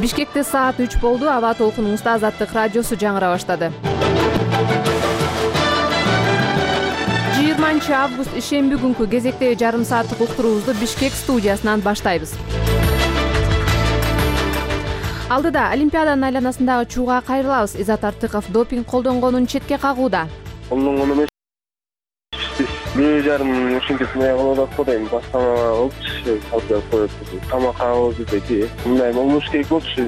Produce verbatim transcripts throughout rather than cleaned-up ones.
Бишкекте саат үч болду. Аба толкунуңузда Азаттык радиосу жаңыра баштады. жыйырманчы август ишемби күнкү кезектеги жарым сааттык уктуруубузду Бишкек студиясынан баштайбыз. Алдыда Олимпиаданын айланасындагы чууга кайрылабыз. Изат Артыков допинг колдонгонун четке кагууда. Бир жарым ушинтип кылып атат дейм. Башкана болчу, калып коет. Тамак абыз деди. Мындай болмош керек болчу.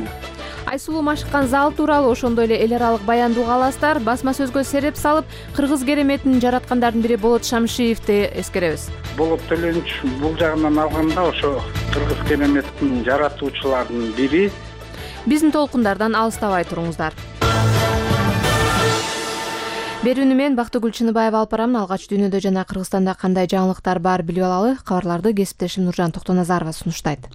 Айсулуу машыккан зал тууралуу ошондой эле эл аралык баяндуу аластар. Басма сөзгө сереп салып, кыргыз кереметин жараткандардын бири Болот Шамшиевди эскеребиз. Болот Төлөнч бул жагынан алганда ошо кыргыз кереметтин жаратуучуларынын бири. Биздин толкундардан алыстабай туруңуздар. Берүүнү мен Бактыгүл Чыныбаева алып барамын. Алгач дүйнөдө жана Кыргызстанда кандай жаңылыктар бар билип алалы. Кабарларды кесиптешим Нуржан Токтоназарова сунуштайт.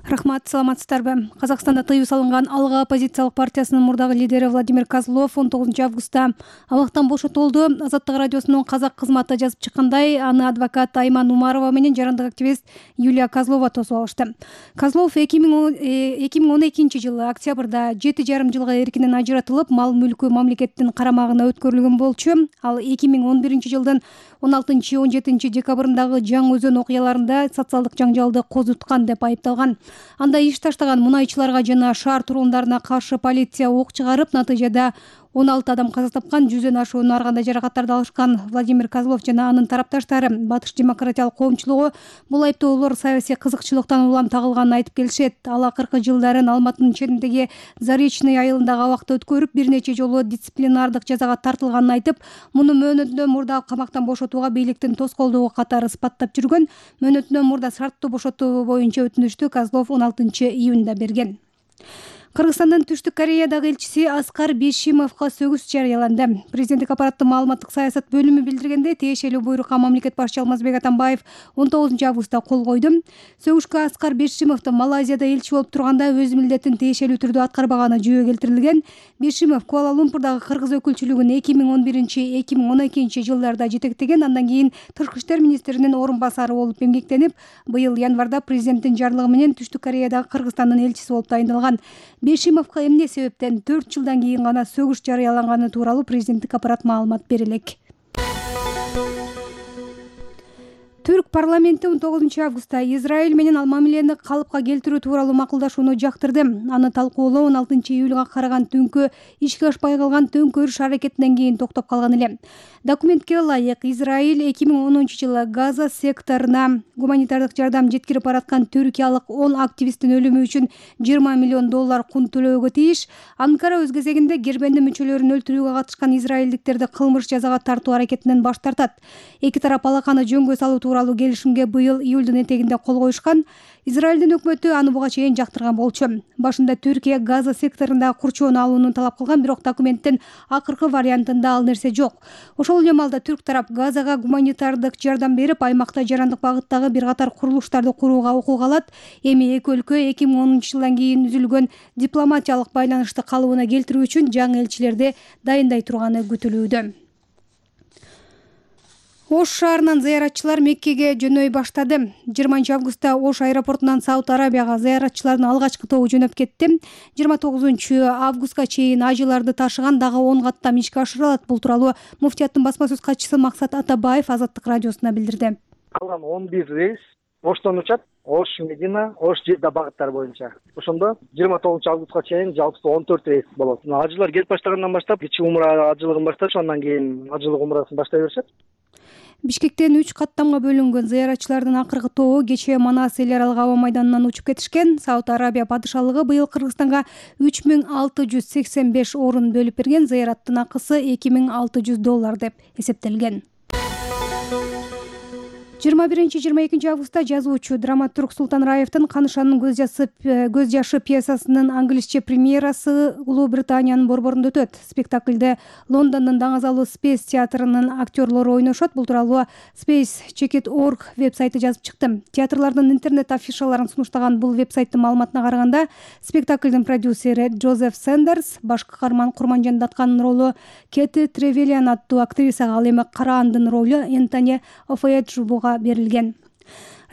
Рахмат, саламатсыздарбы? Казакстанда тыюу салынган Алга оппозициялык партиясынын мурдагы лидери Владимир Козлов он тогузунчу августта абактан бошотулду. Азаттык радиосунун казак кызматы жазып чыккандай, аны адвокат Айман Умарова менен жарандык активист Юлия Козлова тосуп алышты. Козлов эки миң он экинчи жылы октябрда жети жарым жылга эркинен ажыратылып, мал мүлкү мамлекеттин карамагына өткөрүлгөн болчу. Ал эки миң он биринчи жылдын он алтынчы он жетинчи декабрындагы Жаңы Өзөн окуяларында социалдык жаңжалды козуткан деп айыпталган. Анда иш таштаган мунайчыларга жана шаар тургундарына каршы полиция ок чыгарып, натыйжада он алты адам каза тапкан, жүздөн ашуун ар кандай жаракаттарды алышкан. Владимир Козлов жана анын тарапташтары Батыш демократиялык коомчулугу бул айыптоолор саясий кызыкчылыктан улам тагылганын айтып келишет. Ал акыркы жылдарын Алматынын чегиндеги Заречный айылындагы абакта өткөрүп, бир нече жолу дисциплинардык жазага тартылганын айтып, муну мөөнөтүнөн мурда камактан бошотууга бийликтин тоскоолдугу катары ыспаттап жүргөн. Мөөнөтүнөн мурда шарттуу бошотуу боюнча өтүнүштү Козлов он алтынчы июнда берген. Кыргызстандын Түштүк Кореядагы элчиси Аскар Бейшимовго сөгүс жарыяланды. Президенттик аппараттын маалыматтык саясат бөлүмү билдиргенде, тиешелүү буйрукка мамлекет башчы Алмазбек Атамбаев он тогузунчу августта кол койду. Сөгүшкө Аскар Бейшимовдун Малайзияда элчи болуп турганда өз милдетин тиешелүү түрдө аткарбаганы жөө келтирилген. Бейшимов Куала-Лумпурдагы кыргыз өкүлчүлүгүн эки миң он биринчи эки миң он экинчи жылдарда жетектеген, андан кийин Тышкы иштер министринин орун басары болуп эмгектенип, быйыл январда президенттин жарлыгы менен Түштүк Кореядагы Кыргызстандын элчиси болуп тайындалган. Бейшимовго эмне себептен төрт жылдан кийин гана сөгүш жарыяланганы тууралуу президенттик аппарат маалымат бере элек. Түрк парламенти он тогузунчу августта Израиль менен ал мамилени калыпка келтирүү тууралуу макулдашууну жактырды. Аны талкуулоо он алтынчы июлга караган түнкү ишке ашпай калган төңкөрүш аракетинен кийин токтоп калган эле. Документке ылайык, Израиль эки миң онунчу жылы Газа секторуна гуманитардык жардам жеткирип бараткан түркиялык он активисттин өлүмү үчүн жыйырма миллион доллар кун төлөөгө тийиш. Анкара өз кезегинде Гербенди мүчөлөрүн өлтүрүүгө катышкан израилдиктерди кылмыш жазага тартуу аракетинен баш тартат. Эки тарап алаканы жөнгө салуу тууралуу келишимге быйыл июлдун этегинде кол коюшкан. Израилдин өкмөтү аны буга чейин жактырган болчу. Башында Түркия Газа секторунда курчоону алууну талап кылган, бирок документтин акыркы вариантында ал нерсе жок. Ошол эле маалда түрк тарап Газага гуманитардык жардам берип, аймакта жарандык багыттагы бир катар курулуштарды курууга укук алат. Эми эки өлкө эки миң онунчу жылдан кийин үзүлгөн дипломатиялык байланышты калыбына келтирүү үчүн жаңы элчилерди дайындай турганы күтүлүүдө. Ош шаарынан зыяратчылар Меккеге жөнөй баштады. жыйырманчы августта Ош аэропортунан Сауд Арабияга зыяратчылардын алгачкы тобу жөнөп кетти. жыйырма тогузунчу августка чейин ажыларды ташыган дагы он каттам ишке ашырылат. Бул тууралуу муфтияттын басма сөз катчысы Максат Атабаев Азаттык радиосуна билдирди. Калган он бир рейс Оштон учат, Ош, Медина, Ош, Жидда багыттары боюнча. Ошондо жыйырма тогузунчу августка чейин жалпысы он төрт рейс болот. Ажылар келип баштагандан баштап, кичи умра ажылыгын башташ, андан кийин ажылык умрасын баштай беришет. Бишкектен үч каттамга бөлүнгөн зыяратчылардын акыркы тобу кечээ Манас эл аралык аба майданынан учуп кетишкен. Сауд Арабия падышалыгы быйыл Кыргызстанга үч миң алты жүз сексен беш орун бөлүп берген. Зыяраттын акысы эки миң алты жүз доллар деп эсептелген. жыйырма биринчи жыйырма экинчи августта жазуучу драматург Султан Раевдин Канышанын көз жашы көз жашы пьесасынын англисче премьерасы Улуу Британиянын борборунда өтөт. Спектакльде Лондондун даңазалуу Space театрынын актерлору ойношот. Бул тууралуу Space Check It точка org веб-сайты жазып чыкты. Театрлардын интернет афишаларын сунуштаган бул веб-сайттын маалыматына караганда, спектакльдин продюсери Джозеф Сендерс, баш каарман Курманжан Даткандын ролу Кети Тревелиан аттуу актрисага, ал эми Караандын ролу Энтони Офееджубуга берилген.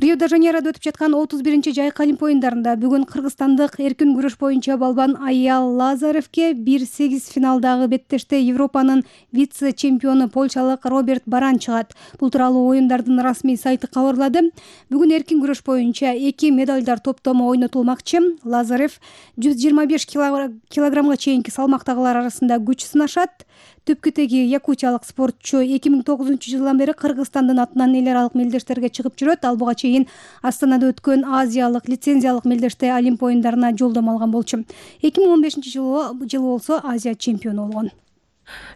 Рио-де-Жанейрода өтүп жаткан отуз биринчи жайкы Олимп оюндарында бүгүн кыргызстандык эркин күрөш боюнча балбан Аял Лазаревке бир сегиз финалдагы беттеште Европанын вице-чемпиону польшалык Роберт Баран чыгат. Бул тууралуу оюндардын расмий сайты кабарлады. Бүгүн эркин күрөш боюнча эки медалдар топтому ойнотулмакчы. Лазарев жүз жыйырма беш килограммга чейинки салмактагылар арасында күч сынашат. Түпкү теги якутиялык спортчу эки миң тогузунчу жылдан бери Кыргызстандын атынан эл аралык мелдештерге чыгып жүрөт. Ал буга чейин Астанада өткөн Азиялык лицензиялык мелдеште Олимп оюндарына жолдомо алган болчу. эки миң он бешинчи жылы жылы болсо Азия чемпиону болгон.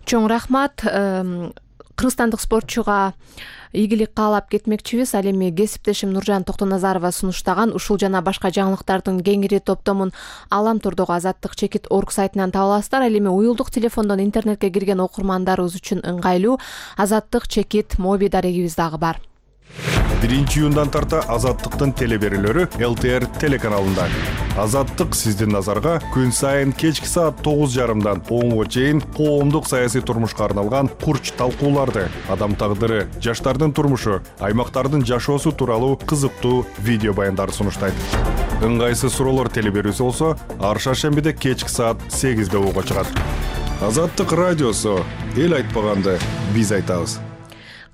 Чоң рахмат. Кыргызстандык спортчуга ийгилик каалап кетмекчибиз. Ал эми кесиптешим Нуржан Токтоназарова сунуштаган ушул жана башка жаңылыктардын кеңири топтомун Алам турдогу Азаттык чекит точка орг сайтынан таба аласыздар. Ал эми уюлдук телефондон интернетке кирген окурмандарыбыз үчүн ыңгайлуу Азаттык чекит моби дарегибиз дагы бар. биринчи июндан тарта Азаттыктын телеберүүлөрү эл тэ эр телеканалында. Азаттык сиздин назарга күн сайын кечки саат тогуз жарымдан онго чейин коомдук саясий турмушка арналган курч талкууларды, адам тагдыры, жаштардын турмушу, аймактардын жашоосу тууралуу кызыктуу видео баяндарды сунуштайт. Ыңгайсыз суроолор телеберүүсү болсо ар шаршембиде кечки саат сегизде угууга чыгат. Азаттык радиосу эл айтпаганды биз айтабыз.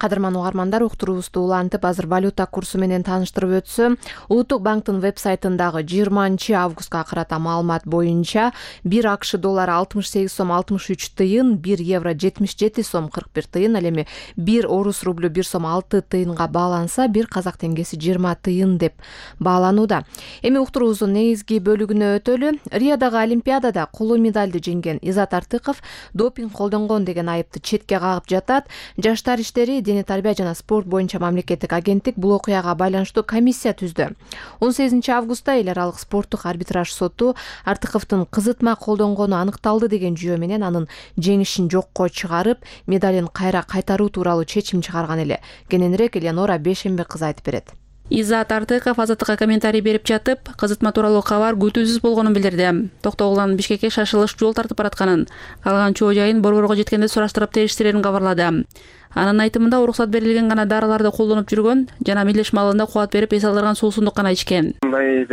Кадырман угармандар, уктуруубузду улантып, азыр валюта курсу менен тааныштырып өтсөм, Улуттук банктын веб-сайтындагы жыйырманчы августка карата маалымат боюнча бир акш доллары алтымыш сегиз сом алтымыш үч тыйын, бир евро жетимиш жети сом кырк бир тыйын, ал эми бир орус рублю бир сом алты тыйынга бааланса, бир казак теңгеси жыйырма тыйын деп бааланууда. Эми уктуруубуздун негизги бөлүгүнө өтөлү. Риодагы Олимпиадада коло медалды жеңген Изат Артыков допинг колдонгон деген айыпты четке кагып жатат. Жаштар иштери, дене тарбия жана спорт боюнча мамлекеттик агенттик бул окуяга байланыштуу комиссия түздү. он сегизинчи августта эл аралык спорттук арбитраж соту Артыковдун кызытма колдонгону аныкталды деген жүйө менен анын жеңишин жокко чыгарып, медалин кайра кайтаруу тууралуу чечим чыгарган эле. Кененирээк Элеонора Бешембек кызы айтып берет. Изат Артыков Азаттыкка комментарий берип жатып, кызытма тууралуу кабар күтүүсүз болгонун билдирди. Токтогулдан Бишкекке шашылыш жол тартып баратканын, калган чоо жайын борборго жеткенде сураштырып териштирерин кабарлады. Анын айтымында уруксат берилген гана дарыларды колдонуп жүргөн жана мелдеш маалында кубат берип эс алдырган суусундук гана ичкен. Мындай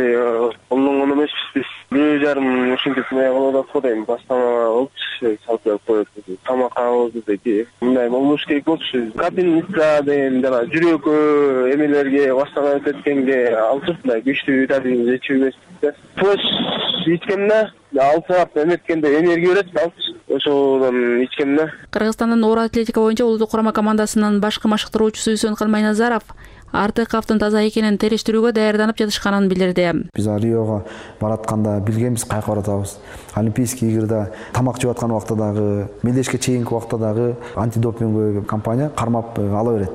колдонгон эмеспиз биз. Бир жарым ушинтип мындай кылып атат го дейм. Баштама болчу, салып берип коет. Тамак алабыз деди. Мындай болмош керек болчу. Капельница деген жана жүрөккө эмелерге баштама өтөткенге алып мындай күчтүү витамин ичип эмеспиз. Тош ичкенде алты саат эметкенде энергия берет, алчы. Ошодон ичкенде. Кыргызстандын оор атлетика боюнча улуттук курама командасынын башкы машыктыруучусу Үсөнкан Майназаров Артыковдун таза экенин териштирүүгө даярданып жатышканын билдирди. Биз Риого баратканда билгенбиз кайка баратабыз. Олимпийский игрде тамак жеп аткан убакта дагы, мелдешке чейинки убакта дагы антидопинговый компания кармап ала берет.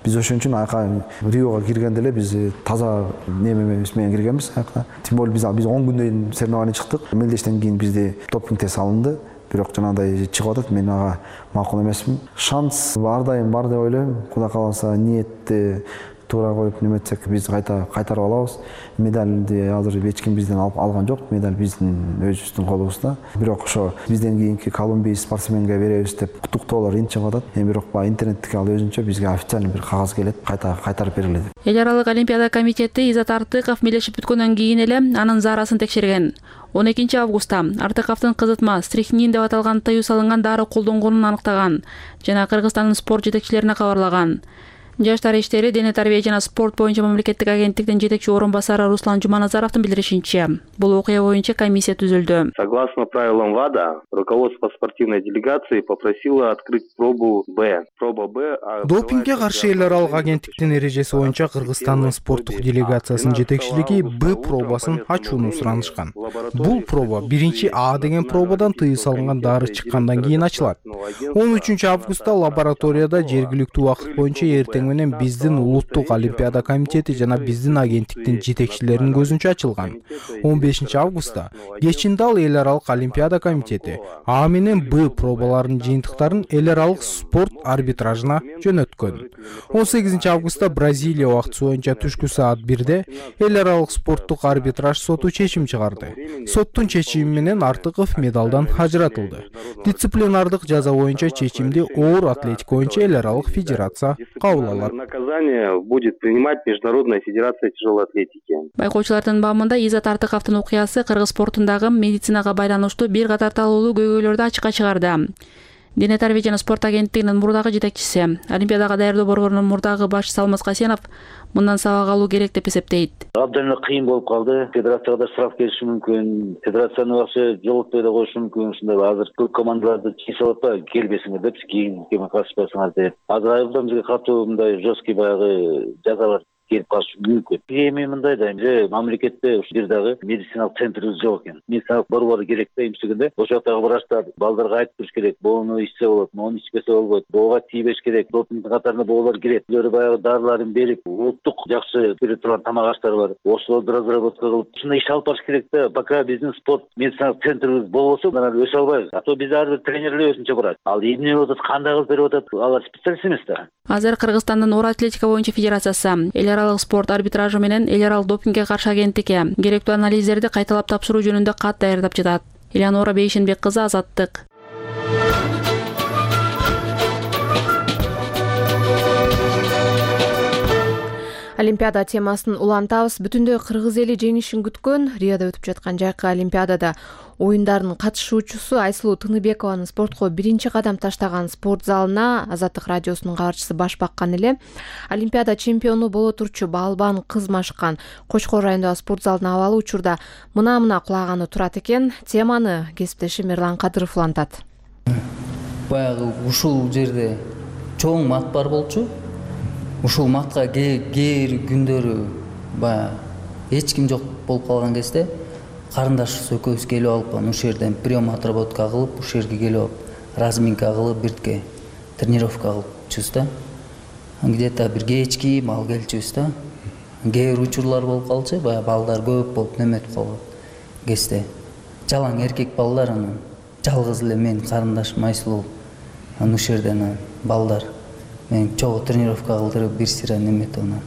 Биз ошон үчүн айка Риого киргенде эле биз таза немебиз менен киргенбиз айка. Тем более биз биз он күндөн соревнование чыктык. Мелдештен кийин бизде допинг тест алынды. Бирок жанагындай чыгып атат, мен ага макул эмесмин. Шанс ар дайым бар деп ойлойм. Кудай кааласа ниетти туура коюп неметсек биз кайта кайтарып алабыз. Медалди азыр эч ким бизден алып алган жок. Медаль биздин өзүбүздүн колубузда. Бирок ошо бизден кийинки колумбий спортсменге беребиз деп куттуктоолор ин чыгып атат. Эми бирок баягы интернеттеги ал өзүнчө бизге официальный бир кагаз келет, кайта кайтарып берилет. Эл аралык Олимпиада комитети Изат Артыков мелдешип бүткөндөн кийин эле анын заарасын текшерген. он экинчи августта Артыковдун кызытма стрихнин деп аталган тыюу салынган дары колдонгонун аныктаган жана Кыргызстандын спорт жетекчилерине кабарлаган. Жаштар иштери, дене тарбия жана спорт боюнча мамлекеттик агенттиктин жетекчи орун басары Руслан Жуманазаровдун билдиришинче, бул окуя боюнча комиссия түзүлдү. Согласно правилам ВАДА, руководство спортивной делегации попросило открыть пробу Б. Проба Б. Допингге каршы эл аралык агенттиктин эрежеси боюнча Кыргызстандын спорттук делегациясынын жетекчилиги Б пробасын ачууну суранышкан. Бул проба биринчи А деген пробадан тыюу салынган дары чыккандан кийин ачылат. он үчүнчү августта лабораторияда жергиликтүү убакыт боюнча эртең менен биздин улуттук олимпиада комитети жана биздин агенттиктин жетекчилеринин көзүнчө ачылган. он бешинчи августта кечин дал эл аралык олимпиада комитети А менен Б пробаларынын жыйынтыктарын эл аралык спорт арбитражына жөнөткөн. он сегизинчи августта Бразилия убактысы боюнча түшкү саат бирде эл аралык спорттук арбитраж соту чечим чыгарды. Соттун чечими менен Артыков медалдан ажыратылды. Дисциплинардык жаза боюнча чечимди оор атлетика боюнча эл аралык федерация кабыл алат. Наказание будет принимать Международная федерация тяжелой атлетики. Байкоочулардын баамында Изат Артыковдун окуясы кыргыз спортундагы медицинага байланыштуу бир катар талоолуу көйгөйлөрдү ачыкка чыгарды. Дене тарбия жана спорт агенттигинин мурдагы жетекчиси, Олимпиадага даярдоо борборунун мурдагы башчысы Алмаз Касенов мындан сабак алуу керек деп эсептейт. Абдан эле кыйын болуп калды. Федерацияга да штраф келиши мүмкүн, федерациянын акча жолотпой да коюшу мүмкүн. Ушундай азыр көп командаларды чийип салат да, келбесиңер деп, кийин кеме катышпасыңар деп. Азыр айылдан бизге катуу мындай жесткий баягы жазалар келип калышы мүмкүн. Эми мындай да, же мамлекетте ушул жер дагы медициналык центрибиз жок экен. Медициналык борбор керек да, эмчегенде ошол жактагы врачтар балдарга айтып туруш керек. Буну ичсе болот, муну ичпесе болбойт. Буга тийбеш керек. Допингдин катарында бугалар кирет. Булар баягы дарыларын берип, улуттук жакшы бере турган тамак аштар бар. Ошолорду разработка кылып, ушундай иш алып барыш керек да. Пока биздин спорт медициналык центрибиз болбосо, анан өсө албайбыз. А то биз ар бир тренерлер өзүнчө барат. Ал эмне болуп атат, кандай кылып берип атат, алар специалист эмес да. Азыр Кыргызстандын оор атлетика боюнча федерациясы эл аралык спорт арбитражы менен эл аралык допингге каршы агенттикке керектүү анализдерди кайталап тапшыруу жөнүндө кат даярдап жатат. Элеонора Бейшенбек кызы, Азаттык. Олимпиада темасын улантабыз. Бүтүндөй кыргыз эли жеңишин күткөн Риодо өтүп жаткан жайкы Олимпиадада оюндардын катышуучусу Айсулуу Тыныбекованын спортко биринчи кадам таштаган спорт залына Азаттык радиосунун кабарчысы баш баккан эле. Олимпиада чемпиону боло турчу балбан кыз машыккан Кочкор районундагы спорт залдын абалы учурда мына-мына кулаганы турат экен. Теманы кесиптешим Мирлан Кадыров улантат. Баягы ушул жерде чоң мат бар болчу. Ушул матка кээ күндөрү баягы эч ким жок болуп калган кезде карындашыбыз экөөбүз келип алып, ушул жерден прием отработка кылып, ушул жерге келип алып, разминка кылып, биртке тренировка кылыпчубуз да. Где-то бир кечки мал келчүбүз да. Кээ бир учурлар болуп калчу, баягы балдар көп болуп неметип калган кезде. Жалаң эркек балдар, анан жалгыз эле мен карындашым Айсулуу. Анан ушул жерден балдар мен чогуу тренировка кылдырып, бир сыйра неметип анан.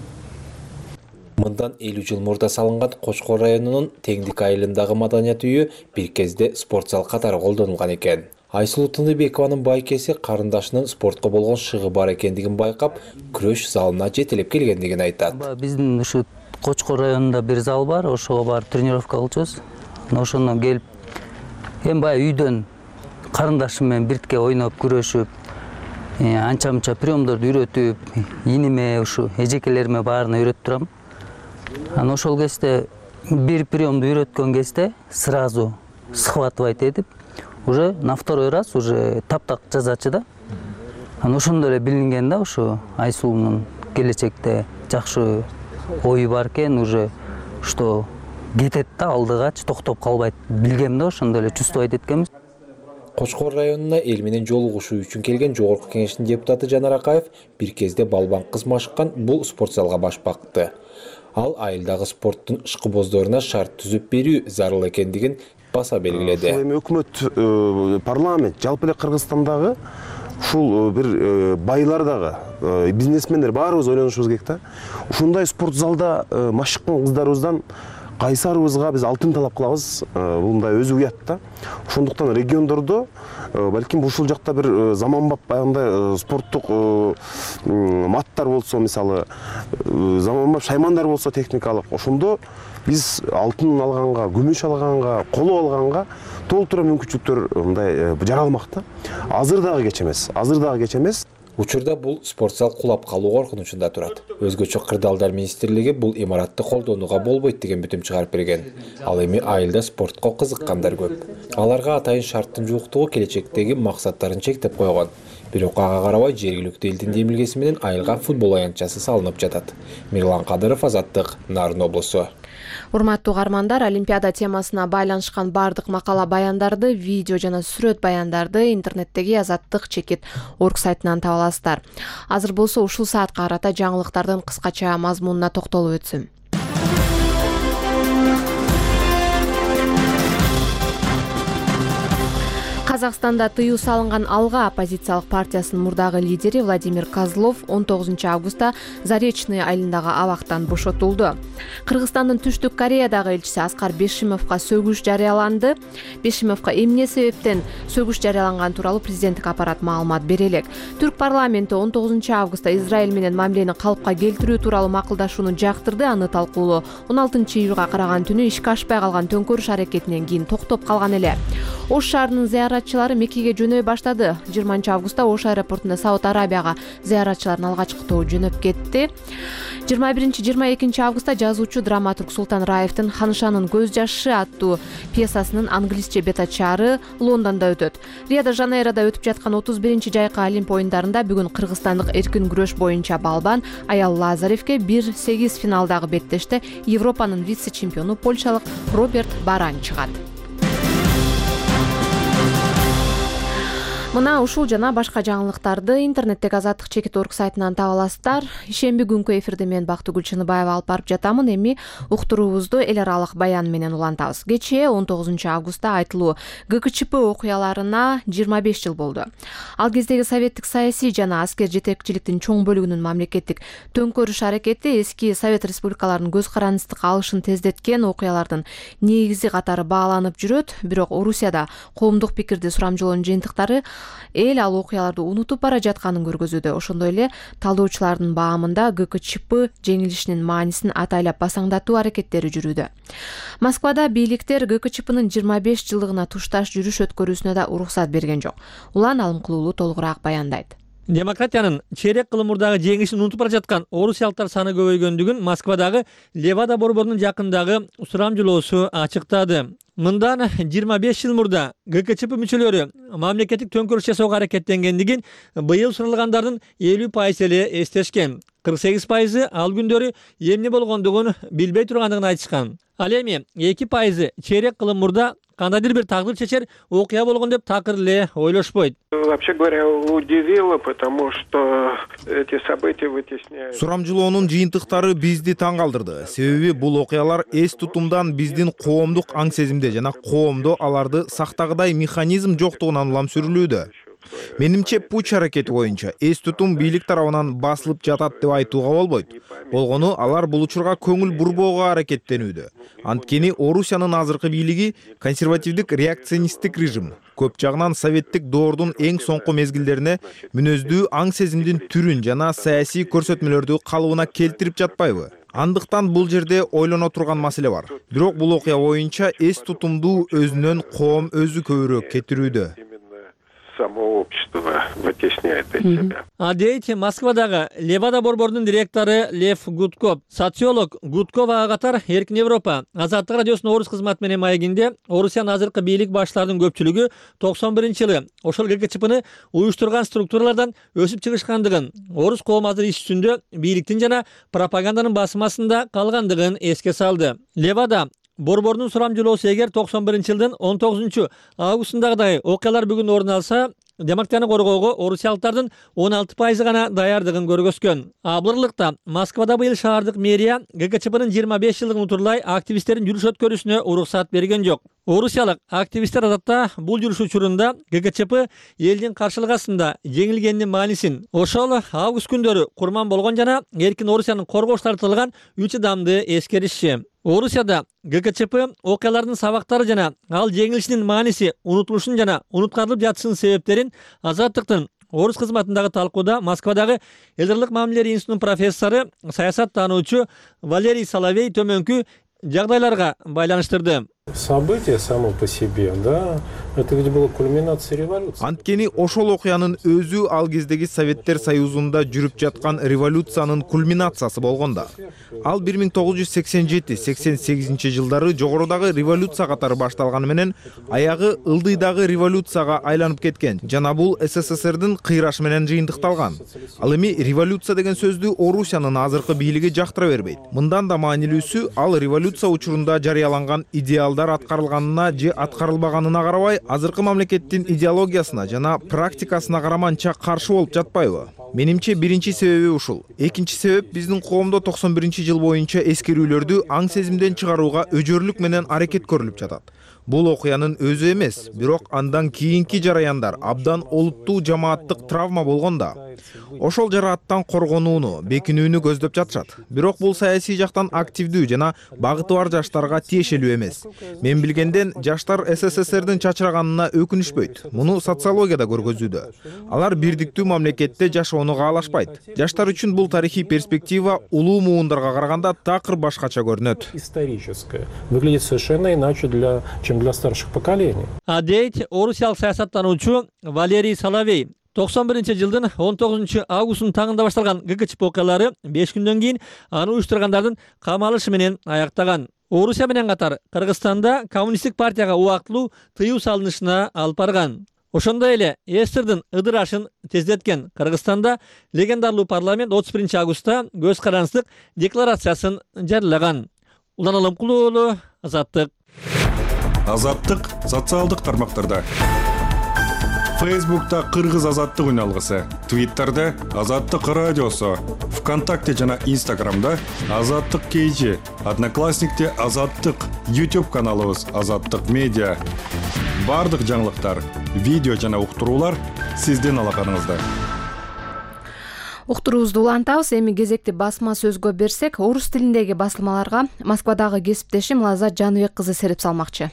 Мындан элүү жыл мурда салынган Кочкор районунун Теңдик айылындагы маданият үйү бир кезде спорт зал катары колдонулган экен. Айсулуу Тыныбекованын байкеси карындашынын спортко болгон шыгы бар экендигин байкап, күрөш залына жетелеп келгендигин айтат. Биздин ушу Кочкор районунда бир зал бар, ошого барып тренировка кылчубуз. Ошондон келип, эми баягы үйдөн карындашым менен биртке ойноп, күрөшүп, анча-мынча приемдорду үйрөтүп, иниме, ушу эжекелериме баарына үйрөтүп турам. Анан ошол кезде бир приемду үйрөткөн кезде сразу схватывать этип, уже на второй раз уже таптак жазачы да. Анан ошондой эле билинген да, ушу Айсулуунун келечекте жакшы ою бар экен, уже что кетет да алдыгачы, токтоп калбайт. Билгем да, ошондой эле чувствовать эткенбиз. Кочкор районуна эл менен жолугушуу үчүн келген Жогорку Кеңештин депутаты Жанар Акаев бир кезде балбан кыз машыккан бул спорт залга баш бакты. Ал айылдагы спорттун ышкыбоздоруна шарт түзүп берүү зарыл экендигин баса белгиледи. Эми өкмөт, парламент, жалпы эле Кыргызстандагы ушул бир байлар дагы, бизнесмендер баарыбыз ойлонушубуз керек да. Ушундай спорт залда машыккан кыздарыбыздан кайсарыбызга биз алтын талап кылабыз, бул мындай өзү уят да. Ошондуктан региондордо балким ушул жакта бир заманбап баягындай спорттук маттар болсо, мисалы заманбап шаймандар болсо техникалык, ошондо биз алтын алганга, күмүш алганга, коло алганга толтура мүмкүнчүлүктөр мындай жаралмак да. Азыр дагы кеч эмес, азыр дагы кеч эмес. Учурда бул спорт зал кулап калуу коркунучунда турат. Өзгөчө Кырдаалдар министрлиги бул имаратты колдонууга болбойт деген бүтүм чыгарып берген. Ал эми айылда спортко кызыккандар көп. Аларга атайын шарттын жууктугу келечектеги максаттарын чектеп койгон. Бирок ага карабай жергиликтүү элдин демилгеси менен айылга футбол аянтчасы салынып жатат. Мирлан Кадыров, Азаттык, Нарын облусу. Урматтуу угармандар, Олимпиада темасына байланышкан бардык макала баяндарды, видео жана сүрөт баяндарды интернеттеги Азаттык чекит орг сайтынан таба аласыздар. Азыр болсо ушул саатка карата жаңылыктардын кыскача мазмунуна токтолуп өтсүм. Казакстанда тыюу салынган Алга оппозициялык партиясынын мурдагы лидери Владимир Козлов он тогузунчу августта Заречный айылындагы абактан бошотулду. Кыргызстандын Түштүк Кореядагы элчиси Аскар Бешимовго сөгүш жарыяланды. Бешимовго эмне себептен сөгүш жарыяланган тууралуу президенттик аппарат маалымат бере элек. Түрк парламенти он тогузунчу августта Израиль менен мамилени калыпка келтирүү тууралуу макулдашууну жактырды. Аны талкуулоо он алтынчы июлга караган түнү ишке ашпай калган төңкөрүш аракетинен кийин токтоп калган эле. Ош шаарынын зыяратчылары Меккеге жөнөй баштады. жыйырманчы августта Ош аэропортунда Сауд Арабияга зыяратчылардын алгачкы тобу жөнөп кетти. жыйырма биринчи жыйырма экинчи августта жазуучу драматург Султан Раевдин Ханышанын көз жашы аттуу пьесасынын англисче бет ачаары Лондондо өтөт. Рио-де-Жанейрода өтүп жаткан отуз биринчи жайкы Олимп оюндарында бүгүн кыргызстандык эркин күрөш боюнча балбан Аял Лазаревге бир сегиз финалдагы беттеште Европанын вице-чемпиону польшалык Роберт Баран чыгат. Мына ушул жана башка жаңылыктарды интернеттеги азаттык чекит орг сайтынан таба аласыздар. Ишемби күнкү эфирде мен Бактыгүл Чыныбаева алып барып жатамын. Эми уктуруубузду эл аралык баян менен улантабыз. Кечээ он тогузунчу августта айтылуу Г К Ч П окуяларына жыйырма беш жыл болду. Ал кездеги советтик саясий жана аскер жетекчиликтин чоң бөлүгүнүн мамлекеттик төңкөрүш аракети эски Совет республикаларынын көз карандысты алышын тездеткен окуялардын негизи катары бааланып жүрөт. Бирок Орусияда коомдук пикирди сурамжылоонун жыйынтыктары эл ал окуяларды унутуп бара жатканын көргөзүүдө. Ошондой эле талдоочулардын баамында Г К Ч П жеңилишинин маанисин атайлап басаңдатуу аракеттери жүрүүдө. Москвада бийликтер Г К Ч Пнын жыйырма беш жылдыгына тушташ жүрүш өткөрүүсүнө да уруксат берген жок. Улан Алымкулуулу толугураак баяндайт. Демократиянын чейрек кылым мурдагы жеңишин унутуп бара жаткан орусиялыктар саны көбөйгөндүгүн Москвадагы Левада борборунун жакындагы сурамжылоосу ачыктады. Мындан жыйырма беш жыл мурда Г К Ч П мүчөлөрү мамлекеттик төңкөрүш жасоого аракеттенгендигин быйыл суралгандардын элүү пайызы эле эстешкен. кырк сегиз пайызы ал күндөрү эмне болгондугун билбей тургандыгын айтышкан. Ал эми эки пайызы чейрек кылым мурда кандайдыр бир тагдыр чечер окуя болгон деп такыр эле ойлошпойт. Вообще говоря, удивило, потому что эти события вытесняют. Сурамжылоонун жыйынтыктары бизди таң калтырды. Себеби бул окуялар эс тутумдан биздин коомдук аң сезимде жана коомдо аларды сактагыдай механизм жоктугунан улам сүрүлүүдө. Менимче пуч аракети боюнча эс тутум бийлик тарабынан басылып жатат деп айтууга болбойт. Болгону алар бул учурга көңүл бурбоого аракеттенүүдө. Анткени Орусиянын азыркы бийлиги консервативдик реакционисттик режим. Көп жагынан советтик доордун эң соңку мезгилдерине мүнөздүү аң сезимдин түрүн жана саясий көрсөтмөлөрдү калыбына келтирип жатпайбы? Андыктан бул жерде ойлоно турган маселе бар. Бирок бул окуя боюнча эс тутумду өзүнөн коом өзү көбүрөөк кетирүүдө. Само общество вытесняет от себя. А дейт Москвадагы Левада борборунун директору Лев Гудков. Социолог Гудков ага катар Эркин Европа Азаттык радиосунун орус кызматы менен маегинде Орусиянын азыркы бийлик баштарынын көпчүлүгү токсон биринчи жылы ошол Г К Ч Пны уюштурган структуралардан өсүп чыгышкандыгын, орус коому азыр иш үстүндө бийликтин жана пропаганданын басмасында калгандыгын эске салды. Левада борборунун сурамжылоосу эгер токсон биринчи жылдын он тогузунчу августундагыдай окуялар бүгүн орун алса, демократияны коргоого орусиялыктардын он алты пайызы гана даярдыгын көргөзгөн. А бурлыкта Москвада быйыл шаардык мэрия Г К Ч Пнын жыйырма беш жылдыгын утурлай активисттердин жүрүш өткөрүүсүнө уруксат берген жок. Орусиялык активисттер адатта бул жүрүш учурунда Г К Ч П элдин каршылык астында жеңилгенинин маанисин, ошол август күндөрү курман болгон жана эркин Орусиянын коргош тартылган үч адамды эскеришчи. Орусияда Г К Ч П окуялардын сабактары жана ал жеңилишинин мааниси унутулушун жана унуткарылып жатышынын себептерин Азаттыктын орус кызматындагы талкууда Москвадагы элдерлик мамилелер институтунун профессору, саясаттануучу Валерий Соловей төмөнкү жагдайларга байланыштырды. Событие само по себе, да, это ведь была кульминация революции. Анткени ошол окуянын өзү ал кездеги Советтер Союзунда жүрүп жаткан революциянын кульминациясы болгондо. Ал бир миң тогуз жүз сексен жети сексен сегизинчи жылдары жогорудагы революция катары башталганы менен аягы ылдыйдагы революцияга айланып кеткен жана бул С С С Рдин кыйрашы менен жыйынтыкталган. Ал эми революция деген сөздү Орусиянын азыркы бийлиги жактыра бербейт. Мындан да маанилүүсү, ал революция учурунда жарыяланган идеал аткарылганына же аткарылбаганына карабай, азыркы мамлекеттин идеологиясына жана практикасына караманча каршы болуп жатпайбы? Менимче биринчи себеби ушул. Экинчи себеп биздин коомдо токсон биринчи жыл боюнча эскерүүлөрдү аң сезимден чыгарууга өжөрлүк менен аракет көрүлүп жатат. Бул окуянын өзү эмес, бирок андан кийинки жараяндар абдан олуттуу жамааттык травма болгонда ошол жарааттан коргонууну, бекинүүнү көздөп жатышат. Бирок бул саясий жактан активдүү жана багыты бар жаштарга тиешелүү эмес. Мен билгенден жаштар СССРдин чачыраганына өкүнүшпөйт. Муну социология да көргөзүүдө. Алар бирдиктүү мамлекетте жашоону каалашпайт. Жаштар үчүн бул тарыхый перспектива улуу муундарга караганда такыр башкача көрүнөт. Историческое. Выглядит совершенно иначе, для, чем для старших поколений. А дейт орусиялык саясаттануучу Валерий Соловей. токсон биринчи жылдын он тогузунчу августунун таңында башталган ГКЧП окуялары беш күндөн кийин аны уюштургандардын камалышы менен аяктаган. Орусия менен катар Кыргызстанда коммунисттик партияга убактылуу тыюу салынышына алып барган. Ошондой эле эсирдин ыдырашын тездеткен Кыргызстанда легендарлуу парламент отуз биринчи августта көз карандысыздык декларациясын жарыялаган. Улан Алымкулуу уулу, Азаттык. Азаттык социалдык тармактарда. Фейсбукта Кыргыз азаттык үналгысы, Твиттерде Азаттык радиосу, ВКонтакте жана Инстаграмда Азаттык кейжи, Одноклассникте Азаттык, YouTube каналыбыз Азаттык медиа. Бардык жаңылыктар, видео жана уктуруулар сиздин алаканыңызда. Уктуруубузду улантабыз. Эми кезекти басма сөзгө берсек, орус тилиндеги басылмаларга Москвадагы кесиптешим Лаззат Жаныбек кызы сереп салмакчы.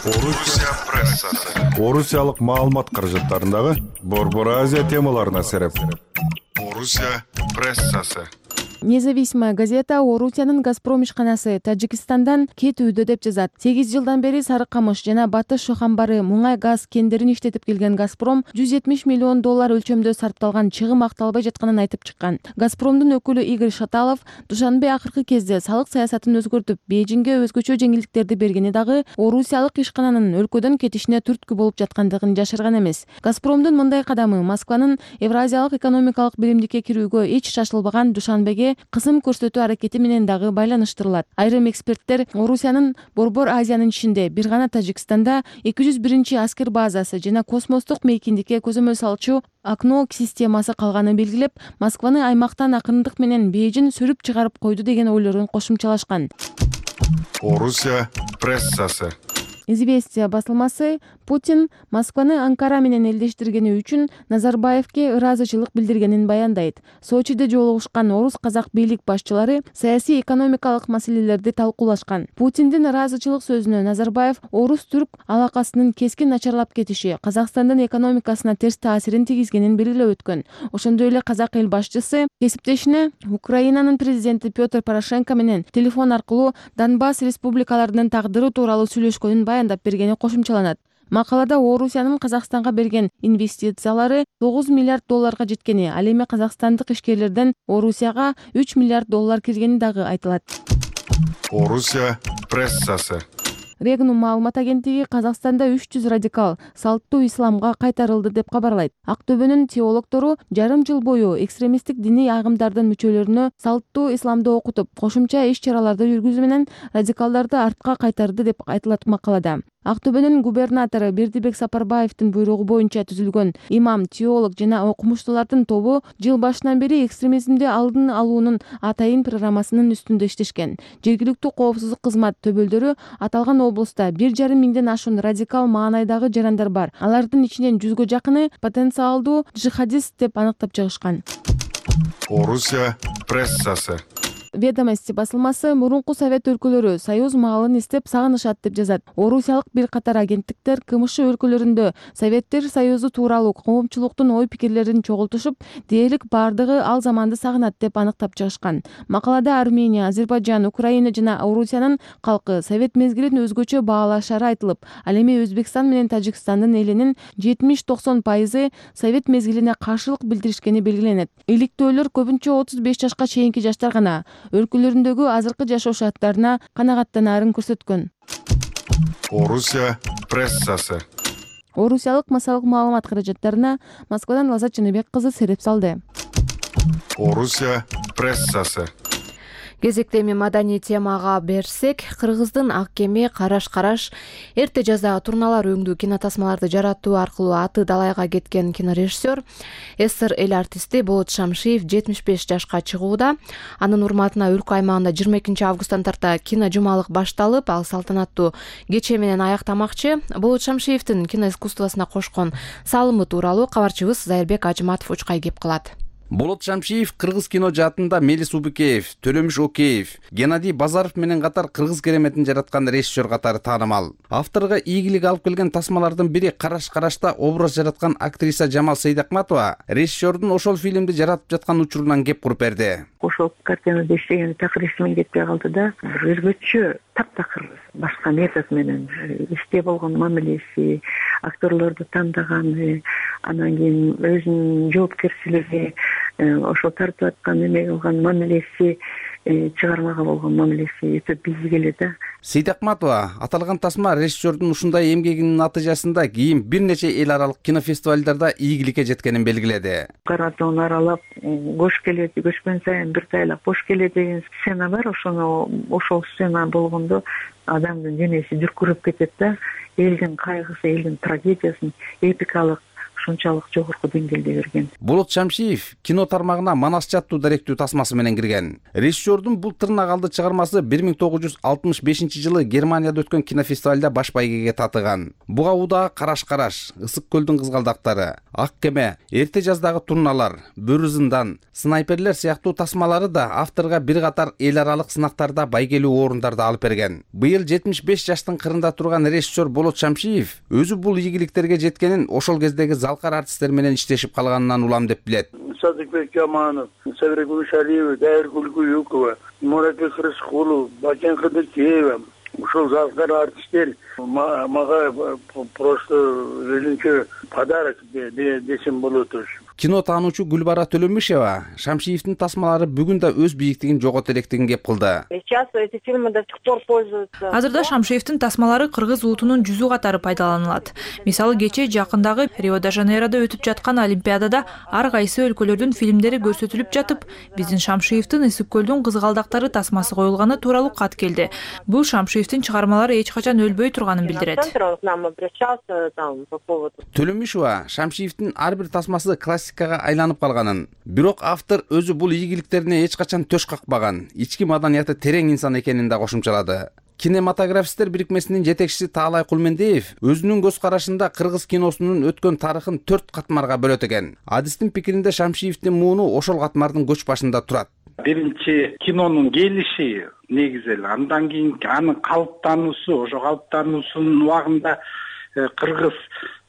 Орусия прессасы. Орусиялык маалымат каражаттарындагы Борбор Азия темаларына сереп. Орусия прессасы. Независимая газета Орусиянын Газпром ишканасы Тажикстандан кетүүдө деп жазат. сегиз жылдан бери Сары Камыш жана Батыш Шохамбары муңай газ кендерин иштетип келген Газпром жүз жетимиш миллион доллар өлчөмдө сарпталган чыгым акталбай жатканын айтып чыккан. Газпромдун өкүлү Игорь Шаталов Душанбе акыркы кезде салык саясатын өзгөртүп, Бейжиңге өзгөчө жеңилдиктерди бергени дагы орусиялык ишкананын өлкөдөн кетишине түрткү болуп жаткандыгын жашырган эмес. Газпромдун мындай кадамы Москванын Евразиялык экономикалык биримдикке кирүүгө эч шашылбаган Душанбеге кысым көрсөтүү аракети менен дагы байланыштырылат. Айрым эксперттер Орусиянын Борбор Азиянын ичинде бир гана Тажикстанда эки жүз биринчи аскер базасы жана космостук мейкиндикке көзөмөл салчу Акно системасы калганын белгилеп, Москваны аймактан акырындык менен Бейжиң сүрүп чыгарып койду деген ойлорун кошумчалашкан. Орусия прессасы. Известия басылмасы Путин Москваны Анкара менен элдештиргени үчүн Назарбаевке ыраазычылык билдиргенин баяндайт. Сочиде жолугушкан орус казак бийлик башчылары саясий экономикалык маселелерди талкуулашкан. Путиндин ыраазычылык сөзүнө Назарбаев орус-түрк алакасынын кескин начарлап кетиши Казакстандын экономикасына терс таасирин тийгизгенин белгилеп өткөн. Ошондой эле казак эл башчысы кесиптешине Украинанын президенти Петр Порошенко менен телефон аркылуу Донбасс республикаларынын тагдыры тууралуу сүйлөшкөнүн баяндап бергени кошумчаланат. Макалада Орусиянын Казакстанга берген инвестициялары тогуз миллиард долларга жеткени, ал эми казакстандык ишкерлерден Орусияга үч миллиард доллар киргени дагы айтылат. Орусия прессасы. Регнум маалымат агенттиги Казакстанда үч жүз радикал салттуу исламга кайтарылды деп кабарлайт. Актөбөнүн теологдору жарым жыл бою экстремисттик диний агымдардын мүчөлөрүнө салттуу исламды окутуп, кошумча иш-чараларды жүргүзүү менен радикалдарды артка кайтарды деп айтылат макалада. Актөбөнүн губернатору Бердибек Сапарбаевдин буйругу боюнча түзүлгөн имам, теолог жана окумуштуулардын тобу жыл башынан бери экстремизмди алдын алуунун атайын программасынын үстүндө иштешкен. Жергиликтүү коопсуздук кызмат төбөлдөрү аталган облуста бир жарым миңден ашуун радикал маанайдагы жарандар бар. Алардын ичинен жүзгө жакыны потенциалдуу джихадист деп аныктап чыгышкан. Орусия прессасы. Ведомости басылмасы мурунку Совет өлкөлөрү союз маалын издеп сагынышат деп жазат. Орусиялык бир катар агенттиктер КМШ өлкөлөрүндө Советтер Союзу тууралуу коомчулуктун ой-пикирлерин чогултушуп, дээрлик бардыгы ал заманды сагынат деп аныктап чыгышкан. Макалада Армения, Азербайджан, Украина жана Орусиянын калкы Совет мезгилин өзгөчө баалашары айтылып, ал эми Өзбекстан менен Тажикстандын элинин жетимиш токсон пайызы Совет мезгилине каршылык билдиришкени белгиленет. Иликтөөлөр көбүнчө отуз беш жашка чейинки жаштар гана өлкөлөрүндөгү азыркы жашоо шарттарына канагаттанаарын көрсөткөн. Орусия прессасы. Орусиялык массалык маалымат каражаттарына Москвадан Лаззат Жаныбек кызы сереп салды. Орусия прессасы. Кезекте эми маданий темага берсек, Кыргыздын Ак кеме Караш Караш эрте жазда турналар өңдүү кинотасмаларды жаратуу аркылуу аты далайга кеткен кинорежиссер СССР эл артисти Болот Шамшиев жетимиш беш жашка чыгууда. Анын урматына өлкө аймагында жыйырма экинчи августтан тарта кино жумалык башталып, ал салтанаттуу кече менен аяктамакчы. Болот Шамшиевдин кино искусствосуна кошкон салымы тууралуу кабарчыбыз Зайырбек Ажыматов учкай кеп кылат. Болот Шамшиев кыргыз кино жаатында Мелис Убукеев, Төлөмүш Океев, Геннадий Базаров менен катар кыргыз кереметин жараткан режиссер катары таанымал. Авторго ийгилик алып келген тасмалардын бири Караш Карашта образ жараткан актриса Жамал Сейдакматова режиссердун ошол фильмди жаратып жаткан учурунан кеп куруп берди. Ошол картинада иштеген такыр эсиме кетпей калды да, бир өзгөчө таптакыр башка метод менен иште болгон мамилеси, актерлорду тандаганы, анан кийин өзүнүн жоопкерчилиги, ошол тартып аткан эме кылган мамилеси, чыгармага болгон мамилеси өтө бийик эле да. Сейдакматова аталган тасма режиссердун ушундай эмгегинин натыйжасында кийин бир нече эл аралык кинофестивалдарда ийгиликке жеткенин белгиледи. Каратоон аралап кош келет, көчкөн сайын бир тайлак бош келет деген сцена бар. Ошону ошол сцена болгондо адамдын денеси дүркүрөп кетет да. Элдин кайгысы, элдин трагедиясын эпикалык ушунчалык жогорку деңгээлде берген. Болот Шамшиев кино тармагына Манас жаттуу даректүү тасмасы менен кирген. Режиссердун бул тырнак алды чыгармасы бир миң тогуз жүз алтымыш бешинчи жылы Германияда өткөн кинофестивалда баш байгеге татыган. Буга удаа Караш Караш, Ысык көлдүн кызгалдактары, Ак кеме, эрте жаздагы турналар, Бөрү зындан, Снайперлер сыяктуу тасмалары да авторго бир катар эл аралык сынактарда байгелүү орундарды алып берген. Быйыл жетимиш беш жаштын кырында турган режиссер Болот Шамшиев өзү бул ийгиликтерге жеткенин ошол кездеги залкар артисттер менен иштешип калганынан улам деп билет. Садыкбек Жаманов, Сабиргул Шалиев, Дайыргүл Куюкова, Мурабек Рыскулов, Бакен Кыдыкеева, ушул залкар артисттер мага просто өзүнчө подарок десем болот. Кино таануучу Гүлбара Төлөмүшева Шамшиевдин тасмалары бүгүн да өз бийиктигин жогото электигин кеп кылды. Азырда Шамшиевдин тасмалары кыргыз улутунун жүзү катары пайдаланылат. Мисалы кече жакындагы Рио-де-Жанейрода өтүп жаткан Олимпиадада ар кайсы өлкөлөрдүн фильмдери көрсөтүлүп жатып, биздин Шамшиевдин Ысык көлдүн кызгалдактары тасмасы коюлганы тууралуу кат келди. Бул Шамшиевдин чыгармалары эч качан өлбөй турганын билдирет. Төлөмүшева Шамшиевдин ар бир тасмасы классикага айланып калганын, бирок автор өзү бул ийгиликтерине эч качан төш какпаган, ички маданияты терең инсан экенин да кошумчалады. Кинематографисттер бирикмесинин жетекчиси Таалай Кулмендиев өзүнүн көз карашында кыргыз киносунун өткөн тарыхын төрт катмарга бөлөт экен. Адистин пикиринде Шамшиевдин мууну ошол катмардын көч башында турат. Биринчи кинонун келиши негизи эле, андан кийин анын калыптануусу, ошо калыптануусунун убагында кыргыз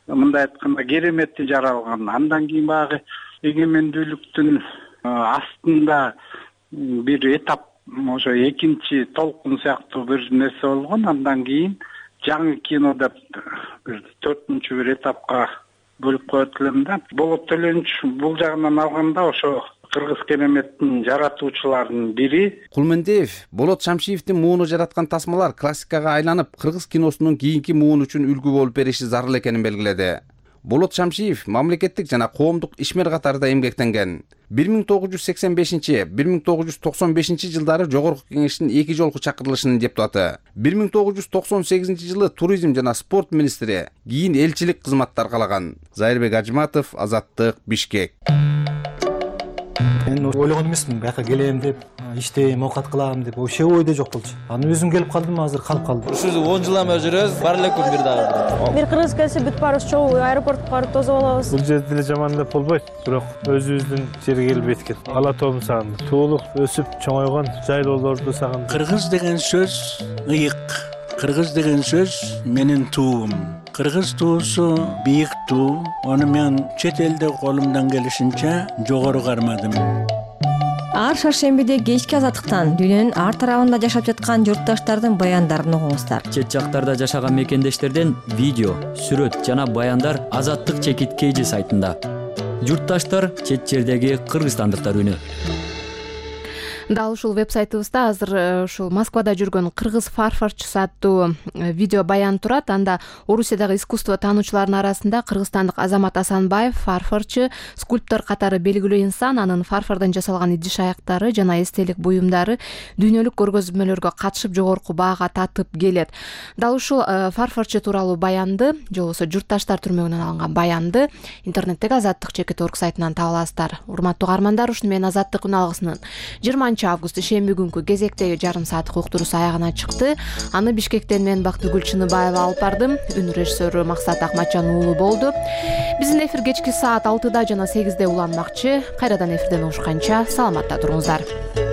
мындай айтканда кереметти жаралган. Андан кийин баягы эгемендүүлүктүн астында бир этап, ошо экинчи толкун сыяктуу бир нерсе болгон. Андан кийин жаңы кино деп бир төртүнчү бир этапка бөлүп коет элем да. Болот Төлөнүч бул жагынан алганда ошо кыргыз кереметтин жаратуучуларынын бири. Кулмендиев Болот Шамшиевдин мууну жараткан тасмалар классикага айланып, кыргыз киносунун кийинки муун үчүн үлгү болуп бериши зарыл экенин белгиледи. Болот Шамшиев мамлекеттик жана коомдук ишмер катарында эмгектенген. бир миң тогуз жүз сексен бешинчи — бир миң тогуз жүз токсон бешинчи жылдары Жогорку Кеңештин эки жолку чакырылышынын депутаты. бир миң тогуз жүз токсон сегизинчи жылы туризм жана спорт министри, кийин элчилик кызматты аркалаган. Зайырбек Ажыматов, Азаттык, Бишкек. Мен ойлогон эмесмин, бияка келем деп, иштейм, оокат кылам деп, вообще ойдо жок болчу. Аны өзүм келип калдым, азыр калып калдым. Ушу он жыл эме жүрөбүз, бар эле күн бир дагы. Бир кыргыз келсе бүт барыбыз чогуу аэропортко барып тосуп алабыз. Бул жерде деле жаман деп болбойт, бирок өзүбүздүн жерге келип эткет. Ала тоом сагындым. Туулук, өсүп чоңойгон жайлоолорду сагындым. Кыргыз деген сөз ыйык. Кыргыз деген сөз менин туум. Кыргыз туусу бийик туу. Аны мен чет элде колумдан келишинче жогору кармадым. Ар шаршембиде кечки азаттыктан дүйнөнүн ар тарабында жашап жаткан журтташтардын баяндарын угуңуздар. Чет жактарда жашаган мекендештерден видео, сүрөт жана баяндар Азаттык чекит кейжи сайтында. Журтташтар чет жердеги кыргызстандыктар үнү. дал ушул вебсайтыбызда азыр ушул Москвада жүргөн кыргыз фарфорчусу аттуу видео баян турат. Анда Орусиядагы искусство таануучуларынын арасында кыргызстандык Азамат Асанбаев фарфорчу, скульптор катары белгилүү инсан, анын фарфордон жасалган идиш аяктары жана эстелик буюмдары дүйнөлүк көргөзмөлөргө катышып жогорку баага татып келет. Дал ушул фарфорчу тууралуу баянды же болбосо журтташтар түрмөгүнөн алынган баянды интернеттеги азаттык чекит орг сайтынан таба аласыздар. Урматтуу каармандар, ушуну менен азаттык күн алгысынын жыйырманчы август ишемби күнкү кезектеги жарым сааттык уктуруусу аягына чыкты. Аны Бишкектен мен Бактыгүл Чыныбаева алып бардым. Үн режиссеру Максат Акматжан уулу болду. Биздин эфир кечки саат алтыда жана сегизде уланмакчы. Кайрадан эфирден угушканча саламатта туруңуздар.